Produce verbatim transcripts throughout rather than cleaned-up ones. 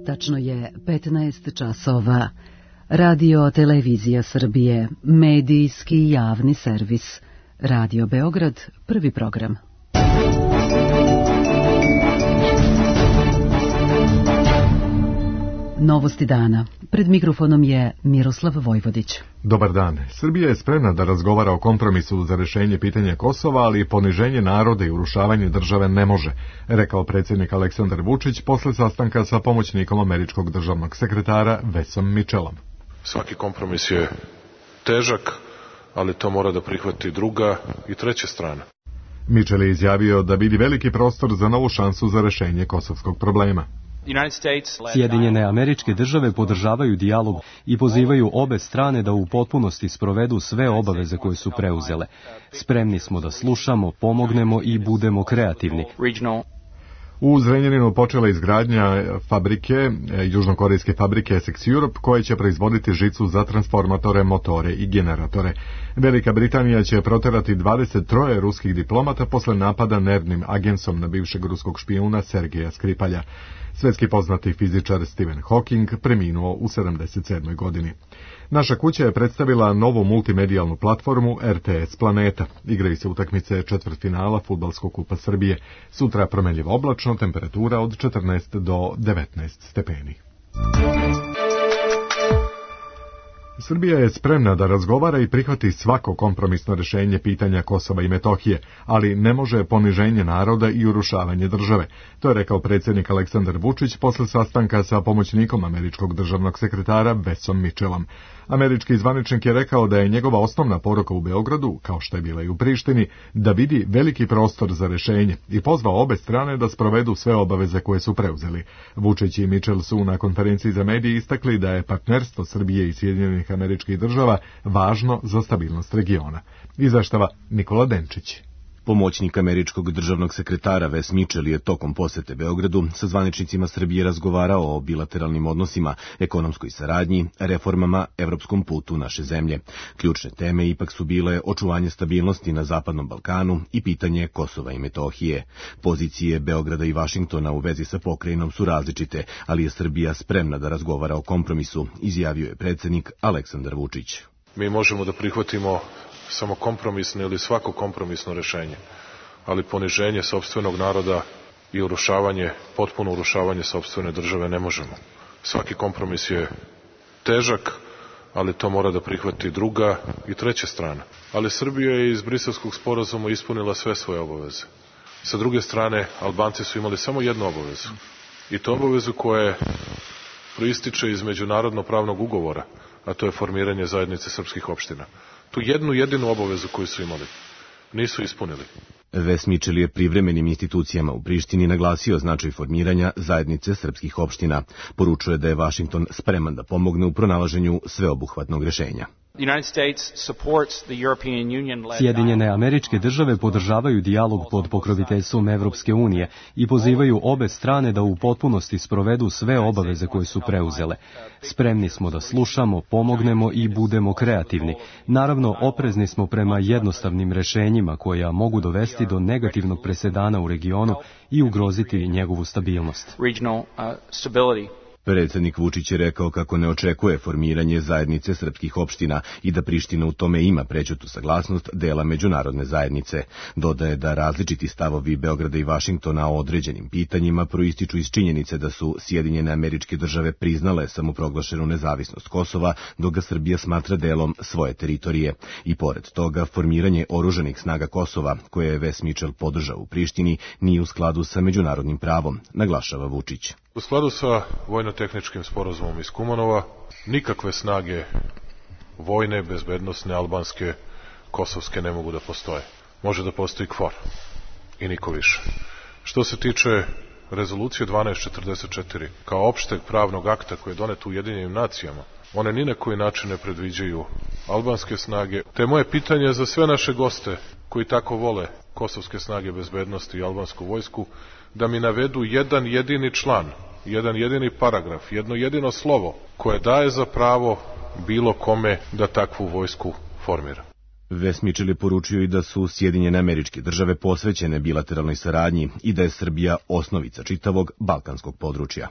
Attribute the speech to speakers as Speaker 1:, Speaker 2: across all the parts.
Speaker 1: Tačno je petnaest časova. Radio Televizija Srbije, medijski javni servis. Radio Beograd, prvi program. Novosti dana. Pred mikrofonom je Miroslav Vojvodić.
Speaker 2: Dobar dan. Srbija je spremna da razgovara o kompromisu za rešenje pitanja Kosova, ali poniženje naroda i urušavanje države ne može, rekao predsjednik Aleksandar Vučić posle sastanka sa pomoćnikom američkog državnog sekretara Wesom Mitchellom.
Speaker 3: Svaki kompromis je težak, ali to mora da prihvati druga i treća strana.
Speaker 2: Mitchell je izjavio da vidi veliki prostor za novu šansu za rešenje kosovskog problema.
Speaker 4: Sjedinjene Američke Države podržavaju dijalog i pozivaju obe strane da u potpunosti sprovedu sve obaveze koje su preuzele. Spremni smo da slušamo, pomognemo i budemo kreativni.
Speaker 2: U Zrenjaninu počela izgradnja fabrike, južnokorejske fabrike Essex Europe, koje će proizvoditi žicu za transformatore, motore i generatore. Velika Britanija će proterati dvadeset tri ruskih diplomata posle napada nervnim agensom na bivšeg ruskog špijuna Sergeja Skripalja. Svetski poznati fizičar Stephen Hawking preminuo u sedamdeset sedmoj godini. Naša kuća je predstavila novu multimedijalnu platformu R T S Planeta. Igraju se utakmice četvrtfinala Fudbalskog kupa Srbije. Sutra promenljivo oblačno, temperatura od četrnaest do devetnaest stepeni. Srbija je spremna da razgovara i prihvati svako kompromisno rešenje pitanja Kosova i Metohije, ali ne može poniženje naroda i urušavanje države. To je rekao predsjednik Aleksandar Vučić posle sastanka sa pomoćnikom američkog državnog sekretara Wesom Mitchellom. Američki zvaničnik je rekao da je njegova osnovna poruka u Beogradu, kao što je bila i u Prištini, da vidi veliki prostor za rešenje i pozvao obe strane da sprovedu sve obaveze koje su preuzeli. Vučić i Mitchell su na konferenciji za medije istakli da je partnerstvo Srbije i Sjedinjenih Američkih Država važno za stabilnost regiona. Izveštava Nikola Denčić.
Speaker 5: Pomoćnik američkog državnog sekretara Wes Mitchell je tokom posete Beogradu sa zvaničnicima Srbije razgovarao o bilateralnim odnosima, ekonomskoj saradnji, reformama, evropskom putu naše zemlje. Ključne teme ipak su bile očuvanje stabilnosti na Zapadnom Balkanu i pitanje Kosova i Metohije. Pozicije Beograda i Vašingtona u vezi sa pokrajinom su različite, ali je Srbija spremna da razgovara o kompromisu, izjavio je predsjednik Aleksandar Vučić.
Speaker 3: Mi možemo da prihvatimo samo kompromisno ili svako kompromisno rešenje, ali poniženje sopstvenog naroda i urušavanje, potpuno urušavanje sopstvene države ne možemo. Svaki kompromis je težak, ali to mora da prihvati druga i treća strana. Ali Srbija je iz Briselskog sporazuma ispunila sve svoje obaveze. Sa druge strane, Albanci su imali samo jednu obavezu. I to obavezu koja proističe iz međunarodno pravnog ugovora, a to je formiranje zajednice srpskih opština. Tu jednu jedinu obavezu koju su imali nisu ispunili.
Speaker 5: Wes Mitchell je privremenim institucijama u Prištini naglasio značaj formiranja zajednice srpskih opština. Poručuje da je Vašington spreman da pomogne u pronalaženju sveobuhvatnog rešenja.
Speaker 4: Sjedinjene Američke Države podržavaju dijalog pod pokroviteljstvom Evropske unije i pozivaju obe strane da u potpunosti sprovedu sve obaveze koje su preuzele. Spremni smo da slušamo, pomognemo i budemo kreativni. Naravno, oprezni smo prema jednostavnim rešenjima koja mogu dovesti do negativnog presedana u regionu i ugroziti njegovu stabilnost.
Speaker 5: Predsjednik Vučić je rekao kako ne očekuje formiranje zajednice srpskih opština i da Priština u tome ima prećutu saglasnost dela međunarodne zajednice. Dodaje da različiti stavovi Beograda i Vašingtona o određenim pitanjima proističu iz činjenice da su Sjedinjene Američke Države priznale samoproglašenu nezavisnost Kosova, dok ga Srbija smatra delom svoje teritorije. I pored toga, formiranje oružanih snaga Kosova, koje je Wes Mitchell podržao u Prištini, nije u skladu sa međunarodnim pravom, naglašava Vučić.
Speaker 3: U skladu sa vojno-tehničkim sporazumom iz Kumanova, nikakve snage vojne, bezbednosne, albanske, kosovske ne mogu da postoje. Može da postoji KFOR i niko više. Što se tiče rezolucije dvanaest četrdeset četiri, kao opšteg pravnog akta koji je donet u Ujedinjenim nacijama, one ni na koji način ne predviđaju albanske snage. Te moje pitanje za sve naše goste koji tako vole kosovske snage bezbednosti i albansku vojsku, da mi navedu jedan jedini član, jedan jedini paragraf, jedno jedino slovo koje daje za pravo bilo kome da takvu vojsku formira.
Speaker 5: Wes Mitchell je poručio i da su Sjedinjene Američke Države posvećene bilateralnoj saradnji i da je Srbija osnovica čitavog balkanskog područja.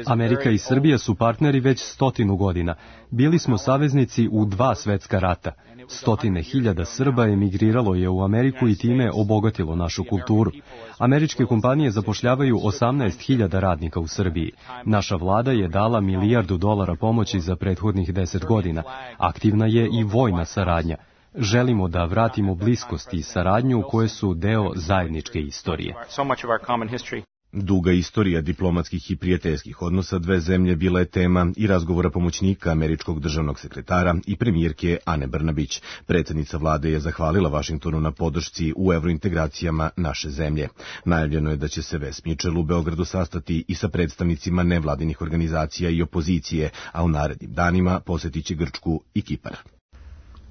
Speaker 4: Amerika i Srbija su partneri već stotinu godina. Bili smo saveznici u dva svetska rata. Stotine hiljada Srba emigriralo je u Ameriku i time obogatilo našu kulturu. Američke kompanije zapošljavaju osamnaest hiljada radnika u Srbiji. Naša vlada je dala milijardu dolara pomoći za prethodnih deset godina. Aktivna je i vojna saradnja. Želimo da vratimo bliskost i saradnju koje su deo zajedničke istorije.
Speaker 5: Duga istorija diplomatskih i prijateljskih odnosa dve zemlje bila je tema i razgovora pomoćnika američkog državnog sekretara i premijerke Ane Brnabić. Predsjednica vlade je zahvalila Vašingtonu na podršci u evrointegracijama naše zemlje. Najavljeno je da će se Wes Mitchell u Beogradu sastati i sa predstavnicima nevladinih organizacija i opozicije, a u narednim danima posjetit će Grčku i Kipar.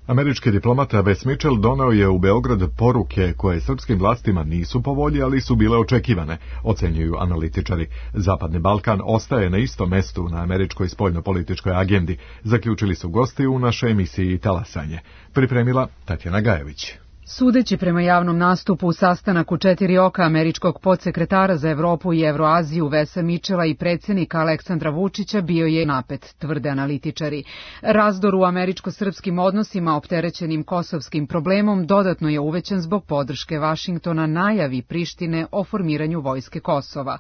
Speaker 2: Američki diplomata Wes Mitchell doneo je u Beograd poruke koje srpskim vlastima nisu po volji, ali su bile očekivane, ocenjuju analitičari. Zapadni Balkan ostaje na istom mestu na američkoj spoljnopolitičkoj agendi, zaključili su gosti u našoj emisiji Talasanje. Pripremila Tatjana Gajević.
Speaker 1: Sudeći prema javnom nastupu u sastanak u četiri oka američkog podsekretara za Evropu i Evroaziju Vesa Mitchella i predsjednika Aleksandra Vučića bio je napet, tvrde analitičari. Razdor u američko-srpskim odnosima opterećenim kosovskim problemom dodatno je uvećan zbog podrške Vašingtona najavi Prištine o formiranju vojske Kosova.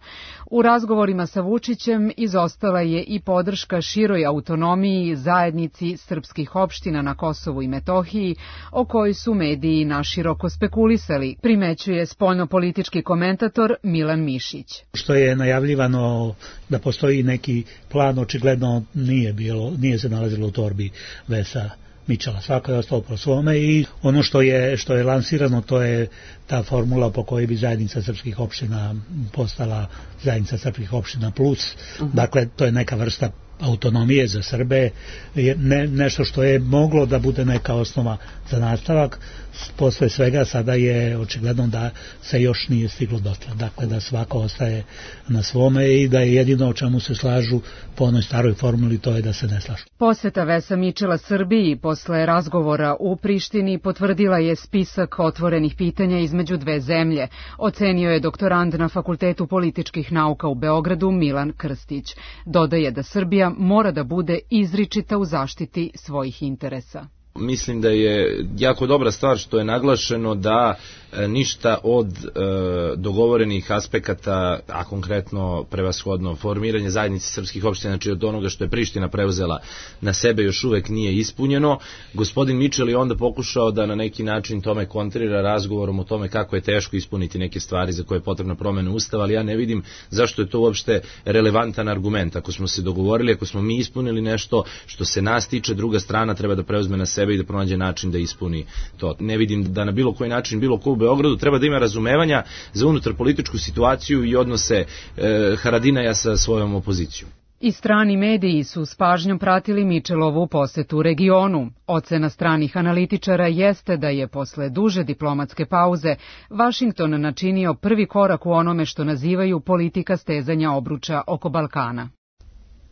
Speaker 1: U razgovorima sa Vučićem izostala je i podrška široj autonomiji zajednici srpskih opština na Kosovu i Metohiji, o kojoj su mediji na naširoko spekulisali, primećuje spoljnopolitički komentator Milan Mišić.
Speaker 6: Što je najavljivano da postoji neki plan, očigledno nije bilo, nije se nalazilo u torbi Vesa Mitchella. Svako je ostalo po svome i ono što je, što je lansirano, to je ta formula po kojoj bi zajednica srpskih opština postala zajednica srpskih opština plus. Uh-huh. Dakle, to je neka vrsta autonomije za Srbe, ne, nešto što je moglo da bude neka osnova za nastavak. Posle svega sada je očigledno da se još nije stiglo dotle. Dakle, da svako ostaje na svome i da je jedino o čemu se slažu po onoj staroj formuli, to je da se ne slažu.
Speaker 1: Poseta Vesa Mitchella Srbiji posle razgovora u Prištini potvrdila je spisak otvorenih pitanja između dve zemlje, ocenio je doktorand na Fakultetu političkih nauka u Beogradu Milan Krstić. Dodaje da Srbija mora da bude izričita u zaštiti svojih interesa.
Speaker 7: Mislim da je jako dobra stvar što je naglašeno da e, ništa od e, dogovorenih aspekata, a konkretno prevashodno formiranje zajednice srpskih opština, znači od onoga što je Priština preuzela na sebe, još uvek nije ispunjeno. Gospodin Mitchell je onda pokušao da na neki način tome kontrira razgovorom o tome kako je teško ispuniti neke stvari za koje je potrebna promena Ustava, ali ja ne vidim zašto je to uopšte relevantan argument. Ako smo se dogovorili, ako smo mi ispunili nešto što se nas tiče, druga strana treba da preuzme na sebe i da pronađe način da ispuni to. Ne vidim da na bilo koji način, bilo ko u Beogradu treba da ima razumevanja za unutar političku situaciju i odnose e, Haradinaja sa svojom opozicijom.
Speaker 1: I strani mediji su s pažnjom pratili Mitchellovu posetu regionu. Ocena stranih analitičara jeste da je posle duže diplomatske pauze Vašington načinio prvi korak u onome što nazivaju politika stezanja obruča oko Balkana.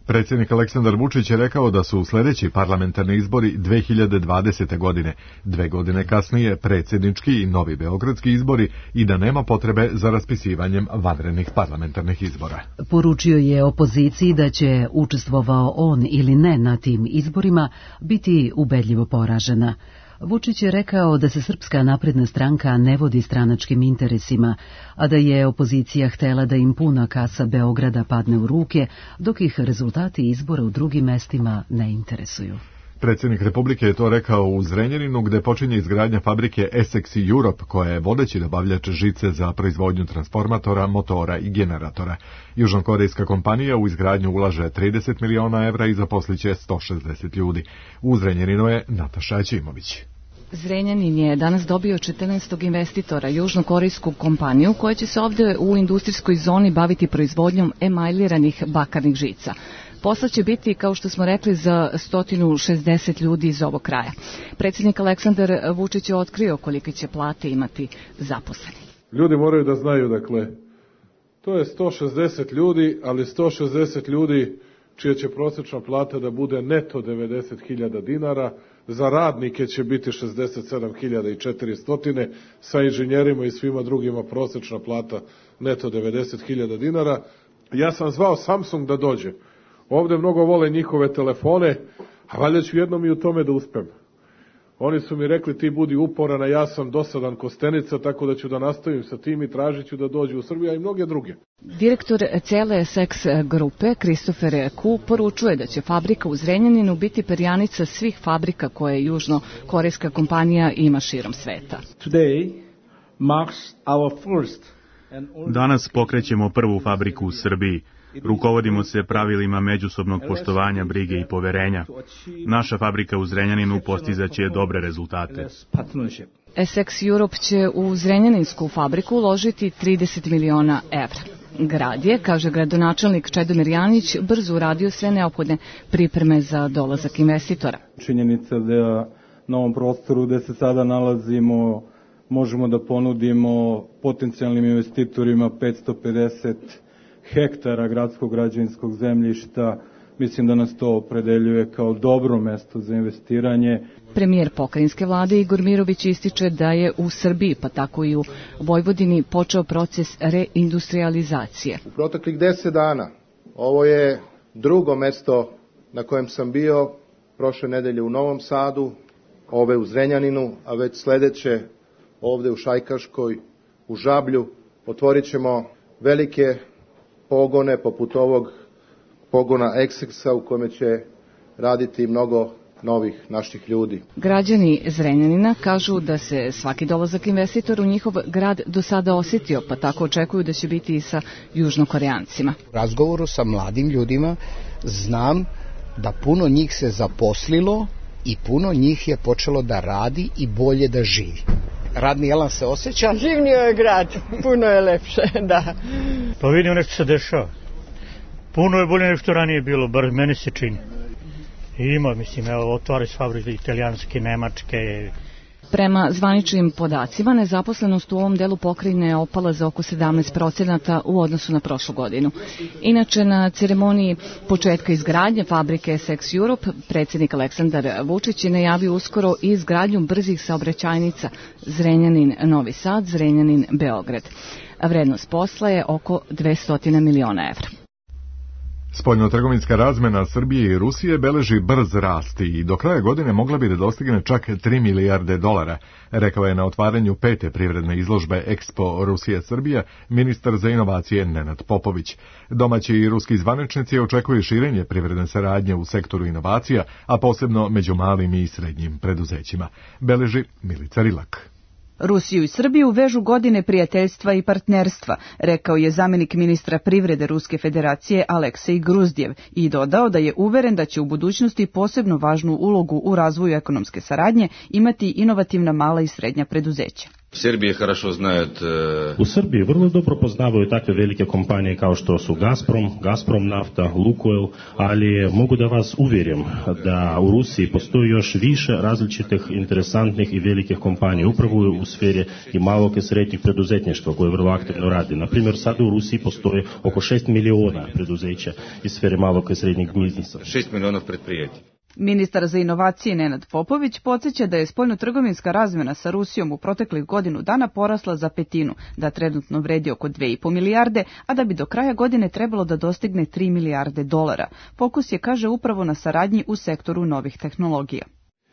Speaker 2: Predsjednik Aleksandar Vučić je rekao da su sljedeći parlamentarni izbori dve hiljade dvadesete. godine, dve godine kasnije predsjednički i novi beogradski izbori i da nema potrebe za raspisivanjem vanrednih parlamentarnih izbora.
Speaker 1: Poručio je opoziciji da će, učestvovao on ili ne na tim izborima, biti ubedljivo poražena. Vučić je rekao da se Srpska napredna stranka ne vodi stranačkim interesima, a da je opozicija htela da im puna kasa Beograda padne u ruke, dok ih rezultati izbora u drugim mestima ne interesuju.
Speaker 2: Predsjednik Republike je to rekao u Zrenjaninu, gde počinje izgradnja fabrike Essex Europe, koja je vodeći dobavljač žice za proizvodnju transformatora, motora i generatora. Južnokorejska kompanija u izgradnju ulaže trideset miliona evra i zaposliće sto šezdeset ljudi. U Zrenjaninu je Nataša Ćimović.
Speaker 8: Zrenjanin je danas dobio četrnaestog investitora, južnokorejsku kompaniju, koja će se ovdje u industrijskoj zoni baviti proizvodnjom emajliranih bakarnih žica. Posla će biti, kao što smo rekli, za sto šezdeset ljudi iz ovog kraja. Predsjednik Aleksandar Vučić je otkrio kolike će plate imati zaposleni.
Speaker 3: Ljudi moraju da znaju, dakle, to je sto šezdeset ljudi, ali sto šezdeset ljudi čija će prosječna plata da bude neto devedeset hiljada dinara,
Speaker 9: za radnike će biti šezdeset sedam hiljada četiristo, sa inženjerima i svima drugima prosečna plata neto devedeset hiljada dinara. Ja sam zvao Samsung da dođe. Ovde mnogo vole njihove telefone, a valjda ću jednom i u tome da uspem. Oni su mi rekli ti budi uporan, a ja sam dosadan kostenica, tako da ću da nastavim sa tim i tražit ću da dođe u Srbiju, a i mnoge druge.
Speaker 8: Direktor cele Essex grupe, Christopher Ku, poručuje da će fabrika u Zrenjaninu biti perjanica svih fabrika koje južnokorejska kompanija ima širom sveta.
Speaker 10: Danas pokrećemo prvu fabriku u Srbiji. Rukovodimo se pravilima međusobnog poštovanja, brige i poverenja. Naša fabrika u Zrenjaninu postizaće dobre rezultate.
Speaker 8: Essex Europe će u Zrenjaninsku fabriku uložiti trideset miliona evra. Grad je, kaže gradonačelnik Čedomir Janić, brzo uradio sve neophodne pripreme za dolazak investitora.
Speaker 11: Činjenica da na ovom prostoru gde se sada nalazimo možemo da ponudimo potencijalnim investitorima petsto pedeset hektara gradskog građevinskog zemljišta. Mislim da nas to opredeljuje kao dobro mesto za investiranje.
Speaker 8: Premijer pokrajinske vlade Igor Mirović ističe da je u Srbiji, pa tako i u Vojvodini, počeo proces reindustrializacije.
Speaker 12: U proteklih deset dana ovo je drugo mesto na kojem sam bio, prošle nedelje u Novom Sadu, ove u Zrenjaninu, a već sledeće ovde u Šajkaškoj, u Žablju. Otvorit ćemo velike pogone poput ovog pogona Essexa u kome će raditi mnogo novih naših ljudi.
Speaker 8: Građani Zrenjanina kažu da se svaki dolazak investitora u njihov grad do sada osjetio, pa tako očekuju da će biti i sa južnokoreancima.
Speaker 13: U razgovoru sa mladim ljudima znam da puno njih se zaposlilo i puno njih je počelo da radi i bolje da živi. Radni elan se osjeća.
Speaker 14: Živnio je grad, puno je lepše, da.
Speaker 6: Pa vidim nešto se dešava. Puno je bolje nego što ranije bilo, bar meni se čini. Ima, mislim, evo, otvori s fabrike italijanske, nemačke.
Speaker 8: Prema zvaničnim podacima, nezaposlenost u ovom delu pokrajine je opala za oko sedamnaest procenata u odnosu na prošlu godinu. Inače, na ceremoniji početka izgradnje fabrike Essex Europe, predsjednik Aleksandar Vučić je najavio uskoro i izgradnju brzih saobraćajnica Zrenjanin-Novi Sad, Zrenjanin-Beograd. Vrednost posla je oko dvesta miliona evra.
Speaker 2: Spoljnotrgovinska razmena Srbije i Rusije beleži brz rast i do kraja godine mogla bi da dostigne čak tri milijarde dolara, rekao je na otvaranju pete privredne izložbe Expo Rusija-Srbija ministar za inovacije Nenad Popović. Domaći i ruski zvaničnici očekuju širenje privredne saradnje u sektoru inovacija, a posebno među malim i srednjim preduzećima, beleži Milica Rilak.
Speaker 15: Rusiju i Srbiju vežu godine prijateljstva i partnerstva, rekao je zamjenik ministra privrede Ruske federacije Aleksej Gruzdjev i dodao da je uveren da će u budućnosti posebno važnu ulogu u razvoju ekonomske saradnje imati inovativna mala i srednja preduzeća.
Speaker 16: U Srbiji vrlo dobro poznavaju takve velike kompanije kao što su Gazprom, Gazprom nafta, Lukoil, ali mogu da vas uvjerim da u Rusiji postoji još više različitih interesantnih i velikih kompanija upravo u sferi i malog i srednjeg preduzetništva koje vrlo aktivno radi. Na primjer, sada u Rusiji postoji oko šest miliona preduzeća iz sfere malog i srednjeg biznisa.
Speaker 17: šest miliona predprijeti.
Speaker 15: Ministar za inovacije Nenad Popović podsjeća da je spoljnotrgovinska razmjena sa Rusijom u proteklih godinu dana porasla za petinu, da trenutno vredi oko dve i po milijarde, a da bi do kraja godine trebalo da dostigne tri milijarde dolara. Fokus je, kaže, upravo na saradnji u sektoru novih tehnologija.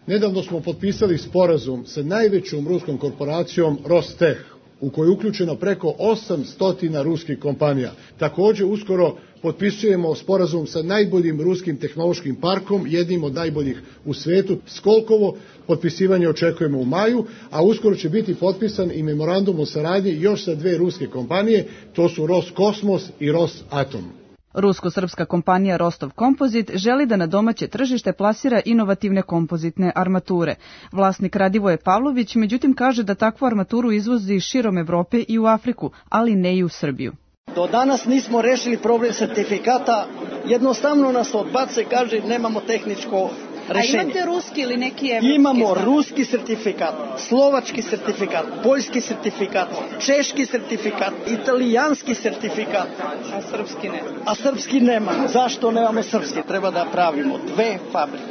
Speaker 18: Nedavno smo potpisali sporazum sa najvećom ruskom korporacijom Rostech, u kojoj je uključeno preko osamsto ruskih kompanija. Također uskoro potpisujemo sporazum sa najboljim ruskim tehnološkim parkom, jednim od najboljih u svetu, Skolkovo. Potpisivanje očekujemo u maju, a uskoro će biti potpisan i memorandum o saradnji još sa dve ruske kompanije, to su Roskosmos i Rosatom.
Speaker 15: Rusko-srpska kompanija Rostov Kompozit želi da na domaće tržište plasira inovativne kompozitne armature. Vlasnik Radivoje Pavlović međutim kaže da takvu armaturu izvozi širom Evrope i u Afriku, ali ne i u Srbiju.
Speaker 19: Do danas nismo rešili problem sertifikata, jednostavno nas odbace, kaže nemamo tehničko
Speaker 17: rešenje.
Speaker 19: A imate ruski ili neki evropski?
Speaker 17: Imamo ruski sertifikat, slovački sertifikat, poljski sertifikat, češki sertifikat, italijanski sertifikat.
Speaker 19: A srpski ne?
Speaker 17: A srpski nema. Zašto nemamo srpski? Treba da pravimo dve fabrike.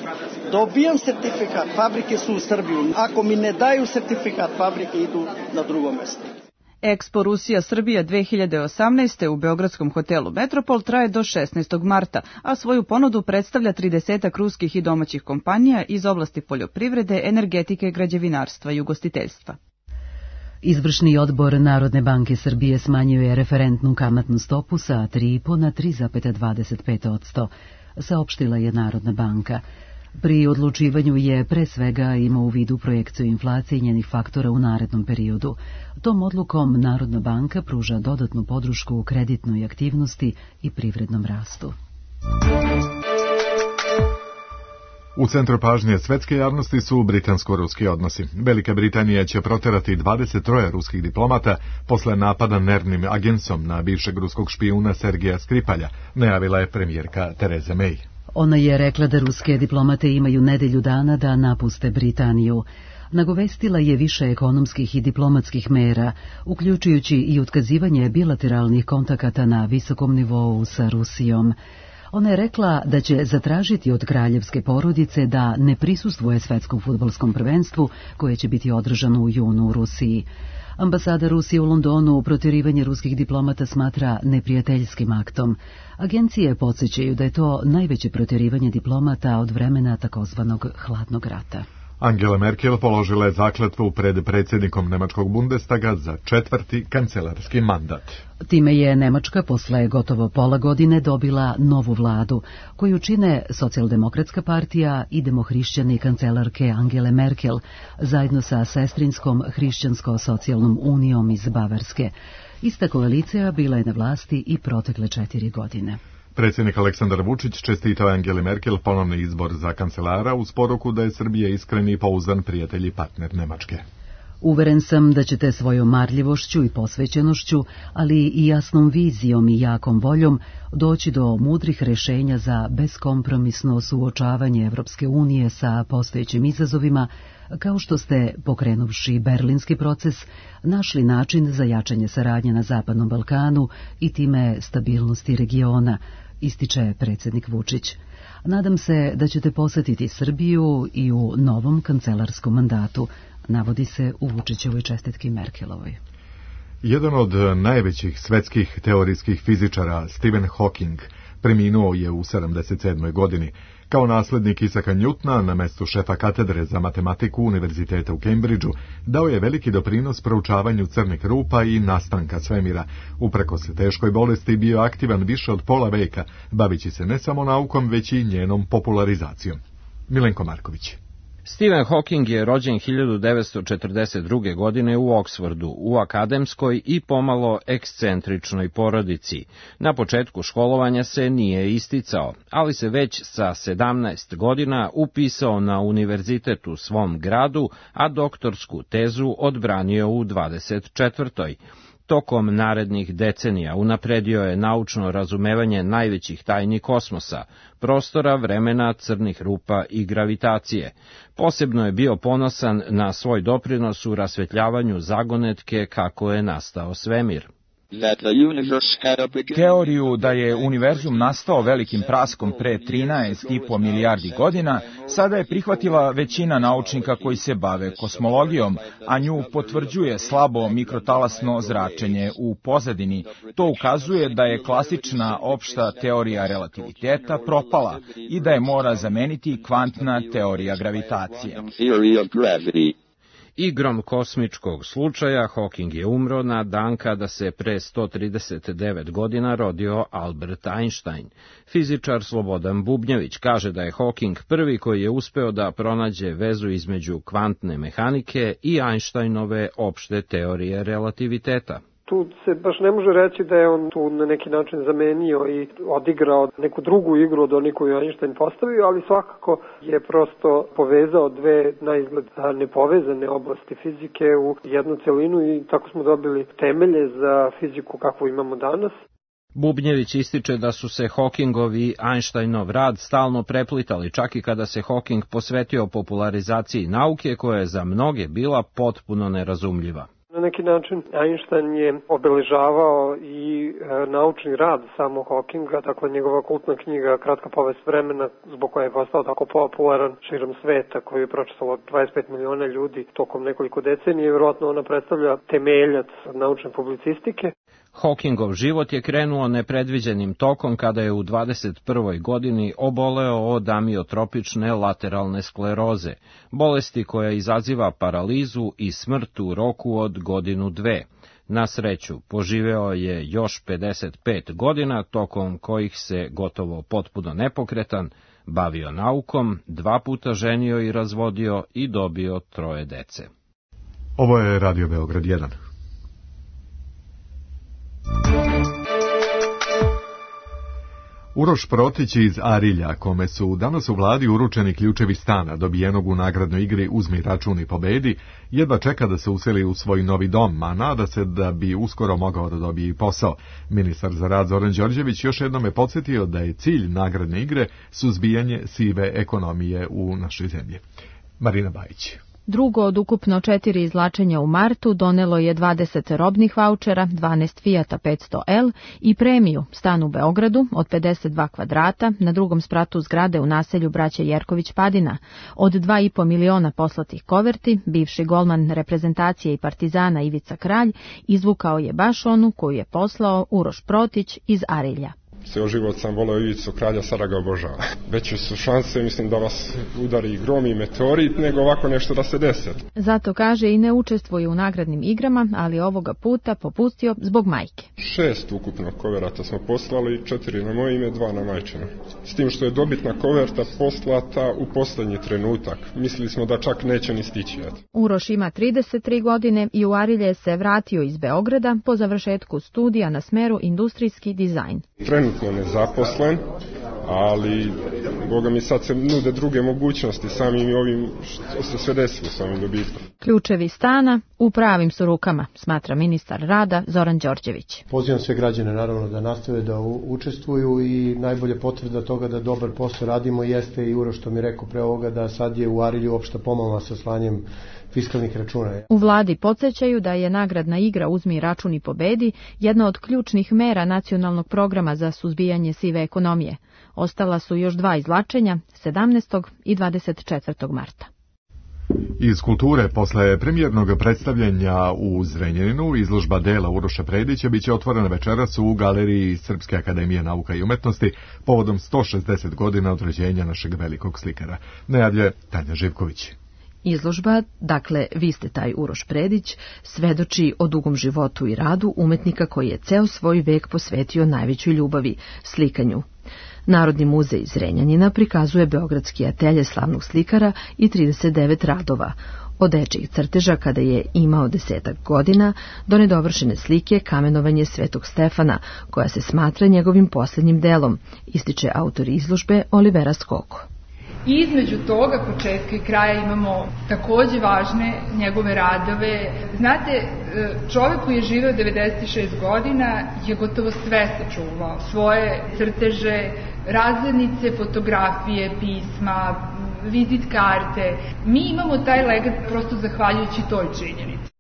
Speaker 17: Dobijam sertifikat, fabrike su u Srbiju. Ako mi ne daju sertifikat, fabrike idu na drugo mesto.
Speaker 15: Expo Rusija Srbija dve hiljade osamnaeste. u beogradskom hotelu Metropol traje do šesnaestog marta, a svoju ponudu predstavlja tridesetak ruskih i domaćih kompanija iz oblasti poljoprivrede, energetike, građevinarstva i ugostiteljstva.
Speaker 20: Izvršni odbor Narodne banke Srbije smanjuje referentnu kamatnu stopu sa tri zarez pet na tri zarez dvadeset pet posto, saopštila je Narodna banka. Pri odlučivanju je pre svega imao u vidu projekciju inflacije i njenih faktora u narednom periodu. Tom odlukom Narodna banka pruža dodatnu podršku u kreditnoj aktivnosti i privrednom rastu.
Speaker 2: U centru pažnje svetske javnosti su britansko-ruski odnosi. Velika Britanija će proterati dvadeset tri ruskih diplomata posle napada nervnim agensom na bivšeg ruskog špijuna Sergeja Skripalja, najavila je premijerka Theresa May.
Speaker 20: Ona je rekla da ruske diplomate imaju nedelju dana da napuste Britaniju. Nagovestila je više ekonomskih i diplomatskih mera, uključujući i otkazivanje bilateralnih kontakata na visokom nivou sa Rusijom. Ona je rekla da će zatražiti od kraljevske porodice da ne prisustvuje svetskom fudbalskom prvenstvu koje će biti održano u junu u Rusiji. Ambasada Rusije u Londonu protjerivanje ruskih diplomata smatra neprijateljskim aktom. Agencije podsjećaju da je to najveće protjerivanje diplomata od vremena takozvanog hladnog rata.
Speaker 2: Angela Merkel položila je zakletvu pred predsjednikom Nemačkog Bundestaga za četvrti kancelarski mandat.
Speaker 20: Time je Nemačka posle gotovo pola godine dobila novu vladu, koju čine Socijaldemokratska partija i demohrišćani kancelarke Angele Merkel, zajedno sa sestrinskom Hrišćansko-socijalnom unijom iz Bavarske. Ista koalicija bila je na vlasti i protekle četiri godine.
Speaker 2: Predsjednik Aleksandar Vučić čestitao Angeli Merkel ponovni izbor za kancelara uz poruku da je Srbija iskreni i pouzdan prijatelj i partner Nemačke.
Speaker 20: Uveren sam da ćete svojom marljivošću i posvećenošću, ali i jasnom vizijom i jakom voljom doći do mudrih rešenja za beskompromisno suočavanje Evropske unije sa postojećim izazovima, kao što ste, pokrenuvši berlinski proces, našli način za jačanje saradnje na Zapadnom Balkanu i time stabilnosti regiona, ističe predsjednik Vučić. Nadam se da ćete posetiti Srbiju i u novom kancelarskom mandatu, navodi se u Vučićevoj čestitki Merkelovoj.
Speaker 2: Jedan od najvećih svetskih teorijskih fizičara, Stephen Hawking, preminuo je u sedamdeset sedmoj godini. Kao naslednik Isaka Newtona na mestu šefa katedre za matematiku Univerziteta u Cambridgeu dao je veliki doprinos proučavanju crnih rupa i nastanka svemira. Uprkos teškoj bolesti bio aktivan više od pola veka, bavići se ne samo naukom, već i njenom popularizacijom. Milenko Marković.
Speaker 21: Stephen Hawking je rođen hiljadu devetsto četrdeset druge. godine u Oksfordu, u akademskoj i pomalo ekscentričnoj porodici. Na početku školovanja se nije isticao, ali se već sa sedamnaest godina upisao na univerzitet u svom gradu, a doktorsku tezu odbranio u dvadeset četvrtoj. Tokom narednih decenija unapredio je naučno razumevanje najvećih tajni kosmosa, prostora, vremena, crnih rupa i gravitacije. Posebno je bio ponosan na svoj doprinos u rasvetljavanju zagonetke kako je nastao svemir.
Speaker 22: Teoriju da je univerzum nastao velikim praskom pre trinaest i po milijardi godina sada je prihvatila većina naučnika koji se bave kosmologijom, a nju potvrđuje slabo mikrotalasno zračenje u pozadini. To ukazuje da je klasična opšta teorija relativiteta propala i da je mora zameniti kvantna teorija gravitacije.
Speaker 21: Igrom kosmičkog slučaja Hawking je umro na dan kada se pre sto trideset devet godina rodio Albert Einstein. Fizičar Slobodan Bubnjević kaže da je Hawking prvi koji je uspeo da pronađe vezu između kvantne mehanike i Einsteinove opšte teorije relativiteta.
Speaker 23: Tu se baš ne može reći da je on tu na neki način zamenio i odigrao neku drugu igru od onih koju Einstein postavio, ali svakako je prosto povezao dve na izgled nepovezane oblasti fizike u jednu celinu i tako smo dobili temelje za fiziku kakvu imamo danas.
Speaker 21: Bubnjević ističe da su se Hawkingov i Einsteinov rad stalno preplitali, čak i kada se Hawking posvetio popularizaciji nauke koja je za mnoge bila potpuno nerazumljiva.
Speaker 23: Na neki način Einstein je obeležavao i e, naučni rad samo Hawkinga, dakle njegova kultna knjiga Kratka povest vremena, zbog koje je postao tako popularan širom sveta, koju je pročitalo dvadeset pet miliona ljudi tokom nekoliko decenija i vjerojatno ona predstavlja temeljac naučne publicistike.
Speaker 21: Hawkingov život je krenuo nepredviđenim tokom kada je u dvadeset prvoj godini oboleo od amiotropične lateralne skleroze, bolesti koja izaziva paralizu i smrt u roku od godinu dve. Na sreću, poživeo je još pedeset pet godina, tokom kojih se gotovo potpuno nepokretan bavio naukom, dva puta ženio i razvodio i dobio troje dece.
Speaker 2: Ovo je Radio Beograd jedan. Uroš Protić iz Arilja, kome su danas u vladi uručeni ključevi stana dobijenog u nagradnoj igri Uzmi račun i pobedi, jedva čeka da se useli u svoj novi dom, a nada se da bi uskoro mogao da dobije i posao. Ministar za rad Zoran Đorđević još jednom je podsjetio da je cilj nagradne igre suzbijanje sive ekonomije u našoj zemlji. Marina Bajić.
Speaker 4: Drugo od ukupno četiri izvlačenja u martu donelo je dvadeset robnih vaučera, dvanaest Fijata petsto L i premiju stan u Beogradu od pedeset dva kvadrata na drugom spratu zgrade u naselju braće Jerković-Padina. Od dva i po miliona poslatih koverti, bivši golman reprezentacije i Partizana Ivica Kralj izvukao je baš onu koju je poslao Uroš Protić iz Arilja.
Speaker 5: Ceo život sam voleo Ivicu Kralja, sada ga obožavam. Veće su šanse, mislim, da vas udari grom i meteorit, nego ovako nešto da se desi.
Speaker 4: Zato kaže i ne učestvuje u nagradnim igrama, ali ovoga puta popustio zbog majke.
Speaker 5: Šest ukupno koverata smo poslali, četiri na moje ime, dva na majčino. S tim što je dobitna koverta poslata u poslednji trenutak. Mislili smo da čak neće ni stići.
Speaker 4: Uroš ima trideset tri godine i u Arilje se vratio iz Beograda po završetku studija na smeru industrijski dizajn.
Speaker 5: Trenutno nezaposlen, ali Boga mi sad se nude druge mogućnosti samim i ovim što se sve desilo s ovim dobitkom.
Speaker 4: Ključevi stana u pravim su rukama, smatra ministar rada Zoran Đorđević.
Speaker 7: Pozivam sve građane naravno da nastave da učestvuju i najbolje potvrda toga da dobar posao radimo jeste i Uroš što mi rekao pre ovoga da sad je u Arilju opšta pomama sa slanjem fiskalnih računa.
Speaker 4: U vladi podsjećaju da je nagradna igra Uzmi račun i pobedi jedna od ključnih mera nacionalnog programa za suzbijanje sive ekonomije. Ostala su još dva izvlačenja, sedamnaestog i dvadeset četvrtog marta.
Speaker 2: Iz kulture, posle premijernog predstavljanja u Zrenjaninu, izložba dela Uroša Predića biće otvorena večeras u galeriji Srpske akademije nauka i umetnosti povodom sto šezdeset godina od rođenja našeg velikog slikara. Najavljuje Tanja Živković.
Speaker 24: Izložba, dakle, vi ste taj Uroš Predić, svedoči o dugom životu i radu umetnika koji je ceo svoj vek posvetio najvećoj ljubavi, slikanju. Narodni muzej Zrenjanina prikazuje beogradski atelje slavnog slikara i trideset devet radova, od dečijih crteža kada je imao desetak godina do nedovršene slike Kamenovanje Svetog Stefana, koja se smatra njegovim posljednjim delom, ističe autor izložbe Olivera Skoko.
Speaker 25: I između toga, početka i kraja, imamo takođe važne njegove radove. Znate, čovjek koji je živeo devedeset šest godina je gotovo sve sačuvao. Svoje crteže, razglednice, fotografije, pisma, vizit karte. Mi imamo taj legat prosto zahvaljujući toj činjenici.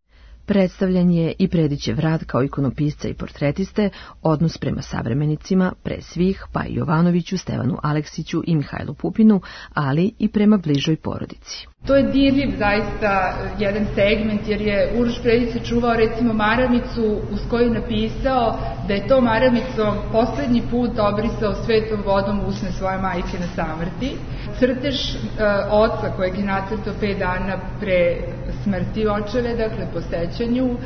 Speaker 24: Predstavljen je i Predićev rad kao ikonopisca i portretiste, odnos prema savremenicima, pre svih, pa i Jovanoviću, Stevanu Aleksiću i Mihajlu Pupinu, ali i prema bližoj porodici.
Speaker 25: To je dirljiv zaista jedan segment, jer je Uroš Predić sačuvao recimo maramicu uz koju je napisao da je to maramicom poslednji put obrisao svetom vodom usne svoje majke na samrti. Crtež e, oca kojeg je nacrtao pet dana pre smrti očeve, dakle po sećanju.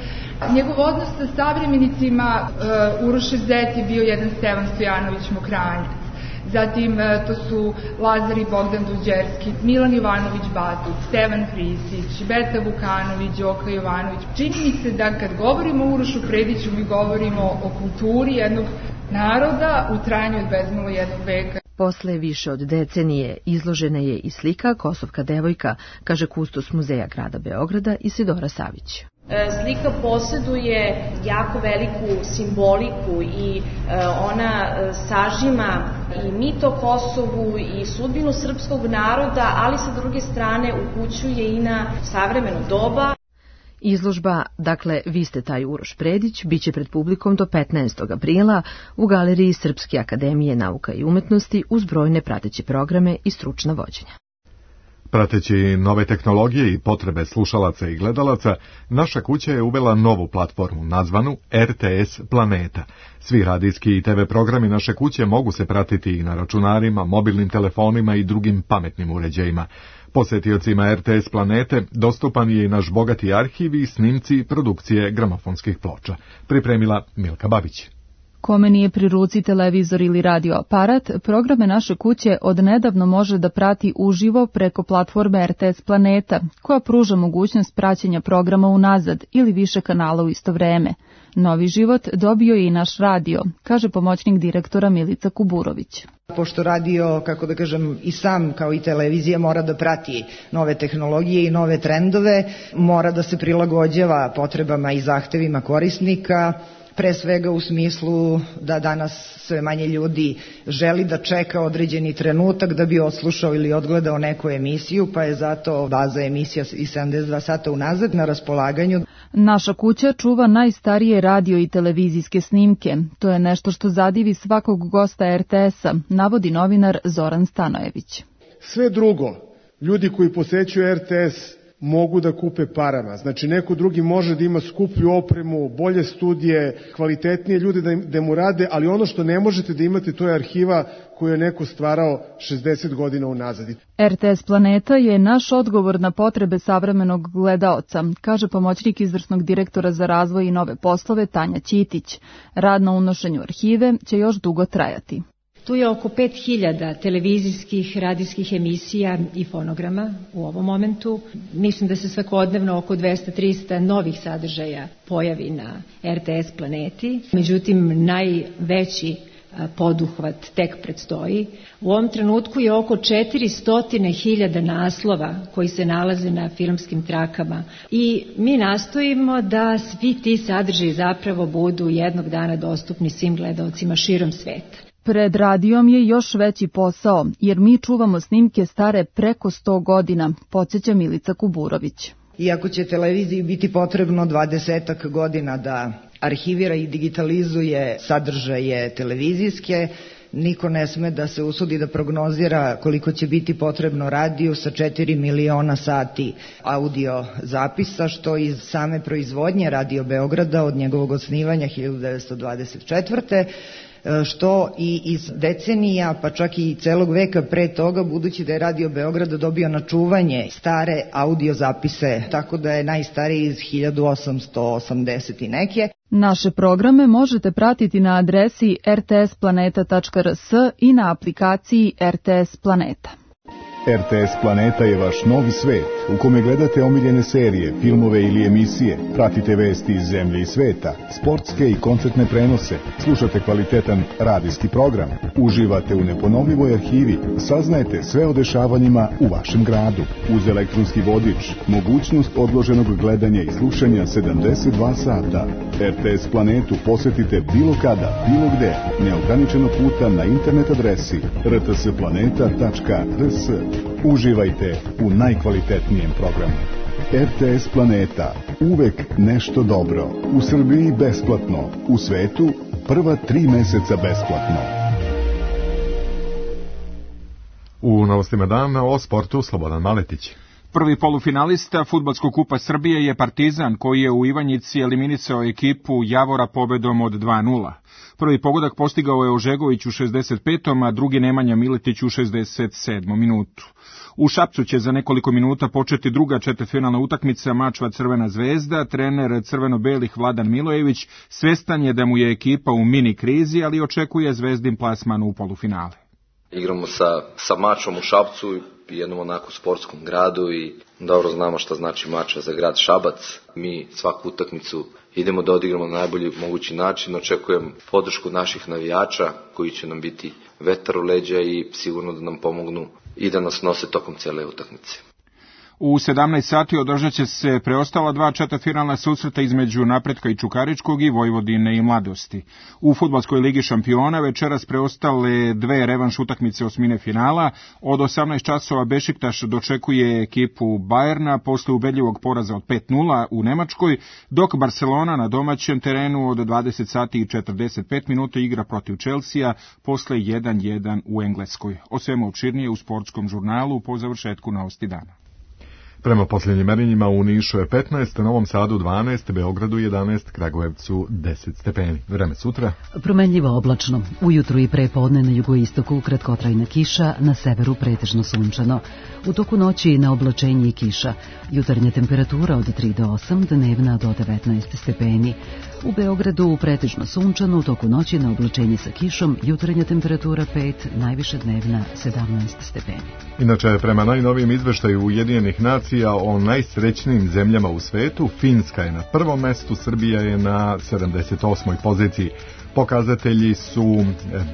Speaker 25: Njegov odnos sa savremenicima, e, Urošev zet je bio jedan Stevan Stojanović Mokranjac. Zatim to su Lazar i Bogdan Duđerski, Milan Jovanović Batut, Stevan Frisić, Beta Vukanović, Đoka Jovanović. Čini mi se da kad govorimo o Urošu Prediću, mi govorimo o kulturi jednog naroda u trajanju od bezmalo jednog veka.
Speaker 24: Posle više od decenije izložena je i slika Kosovka devojka, kaže kustos muzeja grada Beograda Isidora Savić.
Speaker 1: Slika posjeduje jako veliku simboliku i ona sažima i mit o Kosovu i sudbinu srpskog naroda, ali sa druge strane upućuje i na savremeno doba.
Speaker 24: Izložba, dakle, Vi ste taj Uroš Predić, biće pred publikom do petnaestog aprila u Galeriji Srpske akademije nauka i umetnosti uz brojne prateće programe i stručna vođenja.
Speaker 2: Prateći nove tehnologije i potrebe slušalaca i gledalaca, naša kuća je uvela novu platformu nazvanu R T S Planeta. Svi radijski i te ve programi naše kuće mogu se pratiti i na računarima, mobilnim telefonima i drugim pametnim uređajima. Posetiocima R T S Planete dostupan je i naš bogati arhiv i snimci produkcije gramofonskih ploča. Pripremila Milka Babić.
Speaker 15: Kome nije pri ruci televizor ili radio aparat, programe naše kuće odnedavno može da prati uživo preko platforme R T S Planeta, koja pruža mogućnost praćenja programa unazad ili više kanala u isto vreme. Novi život dobio je i naš radio, kaže pomoćnik direktora Milica Kuburović.
Speaker 3: Pošto radio, kako da kažem, i sam kao i televizija mora da prati nove tehnologije i nove trendove, mora da se prilagođava potrebama i zahtevima korisnika, pre svega u smislu da danas sve manje ljudi želi da čeka određeni trenutak da bi odslušao ili odgledao neku emisiju, pa je zato baza emisija i sedamdeset dva sata unazad na raspolaganju.
Speaker 15: Naša kuća čuva najstarije radio i televizijske snimke. To je nešto što zadivi svakog gosta R T S-a, navodi novinar Zoran Stanojević.
Speaker 18: Sve drugo, ljudi koji posećuju R T S mogu da kupe parama. Znači, neko drugi može da ima skuplju opremu, bolje studije, kvalitetnije ljude da, da mu rade, ali ono što ne možete da imate, to je arhiva koju je neko stvarao šezdeset godina unazad.
Speaker 15: R T S Planeta je naš odgovor na potrebe savremenog gledaoca, kaže pomoćnik izvršnog direktora za razvoj i nove poslove Tanja Ćitić. Rad na unošenju arhive će još dugo trajati.
Speaker 9: Tu je oko pet hiljada televizijskih, radijskih emisija i fonograma u ovom momentu. Mislim da se svakodnevno oko dvesta do trista novih sadržaja pojavi na R T S Planeti. Međutim, najveći poduhvat tek predstoji. U ovom trenutku je oko četiristo hiljada naslova koji se nalaze na filmskim trakama i mi nastojimo da svi ti sadržaji zapravo budu jednog dana dostupni svim gledaocima širom sveta.
Speaker 15: Pred radijom je još veći posao, jer mi čuvamo snimke stare preko sto godina, podsjeća Milica Kuburović.
Speaker 3: Iako će televiziji biti potrebno dvadesetak godina da arhivira i digitalizuje sadržaje televizijske, niko ne sme da se usudi da prognozira koliko će biti potrebno radiju sa četiri miliona sati audio zapisa, što iz same proizvodnje Radio Beograda od njegovog osnivanja hiljadu devetsto dvadeset četvrte što i iz decenija, pa čak i celog veka pre toga, budući da je Radio Beograd dobio na čuvanje stare audio zapise, tako da je najstariji iz hiljadu osamsto osamdeset i neke.
Speaker 15: Naše programe možete pratiti na adresi r t s planeta tačka r s i na aplikaciji R T S Planeta.
Speaker 10: R T S Planeta je vaš novi svet u kome gledate omiljene serije, filmove ili emisije, pratite vesti iz zemlje i sveta, sportske i koncertne prenose, slušate kvalitetan radijski program, uživate u neponovljivoj arhivi, saznajete sve o dešavanjima u vašem gradu. Uz elektronski vodič, mogućnost odloženog gledanja i slušanja sedamdeset dva sata. R T S Planetu posetite bilo kada, bilo gde, neograničeno puta na internet adresi r t s planeta tačka r s. Uživajte u najkvalitetnijem programu. R T S Planeta, uvek nešto dobro. U Srbiji besplatno, u svetu prva tri meseca besplatno.
Speaker 2: U novostima dana o sportu Slobodan Maletić.
Speaker 22: Prvi polufinalista Fudbalskog kupa Srbije je Partizan, koji je u Ivanjici eliminisao ekipu Javora pobedom od dva nula. Prvi pogodak postigao je Ožegović u šezdeset petom a drugi Nemanja Miletić u šezdeset sedmom minutu. U Šapcu će za nekoliko minuta početi druga četvrtfinalna utakmica Mačva Crvena zvezda. Trener crveno-belih Vladan Milojević svestan je da mu je ekipa u mini krizi, ali očekuje Zvezdin plasman u polufinale.
Speaker 11: Igramo sa, sa Mačvom u Šapcu, jednom onako sportskom gradu i dobro znamo šta znači Mačva za grad Šabac. Mi svaku utakmicu idemo da odigramo na najbolji mogući način. Očekujem podršku naših navijača koji će nam biti vetar u leđa i sigurno da nam pomognu i da nas nose tokom cele utakmice.
Speaker 6: U sedamnaest sati održat će se preostala dva četvrtfinalna susreta između Napretka i Čukaričkog i Vojvodine i Mladosti. U fudbalskoj ligi šampiona večeras preostale dve revanš utakmice osmine finala. Od osamnaest časova Bešiktaš dočekuje ekipu Bajerna posle ubedljivog poraza od pet nula u Nemačkoj, dok Barcelona na domaćem terenu od dvadeset sati i četrdeset pet minuta igra protiv Chelsea posle jedan jedan u Engleskoj. O svemu opširnije u sportskom žurnalu po završetku Novosti dana.
Speaker 2: Prema posljednjim merenjima u Nišu je petnaest, Novom Sadu dvanaest, Beogradu jedanaest, Kragujevcu deset stepeni. Vreme sutra?
Speaker 20: Promenljivo oblačno. Ujutru i prepodne na jugoistoku kratkotrajna kiša, na severu pretežno sunčano. U toku noći na oblačenje i kiša. Jutarnja temperatura od tri do osam, dnevna do devetnaest stepeni. U Beogradu pretežno sunčano, u toku noći na oblačenje sa kišom, jutarnja temperatura pet, najviša dnevna sedamnaest stepeni.
Speaker 2: Inače, prema najnovijem izveštaju Ujedinjenih nacija o najsrećnijim zemljama u svetu, Finska je na prvom mestu, Srbija je na sedamdeset osmoj poziciji. Pokazatelji su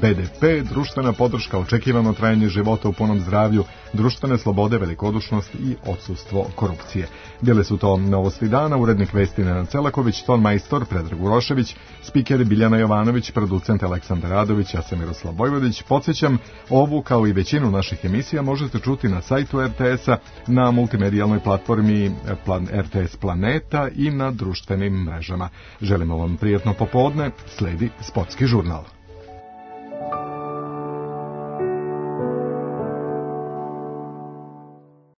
Speaker 2: be de pe, društvena podrška, očekivano trajanje života u punom zdravlju, društvene slobode, velikodušnost i odsustvo korupcije. Bile su to Novosti dana, urednik vesti Nenad Celaković, ton majstor Predrag Urošević, spiker Biljana Jovanović, producent Aleksandar Radović, ja sam Miroslav Vojvodić. Podsjećam, ovu kao i većinu naših emisija možete čuti na sajtu er te esa, na multimedijalnoj platformi er te es Planeta i na društvenim mrežama. Želimo vam prijatno popodne, sledi Sportski žurnal.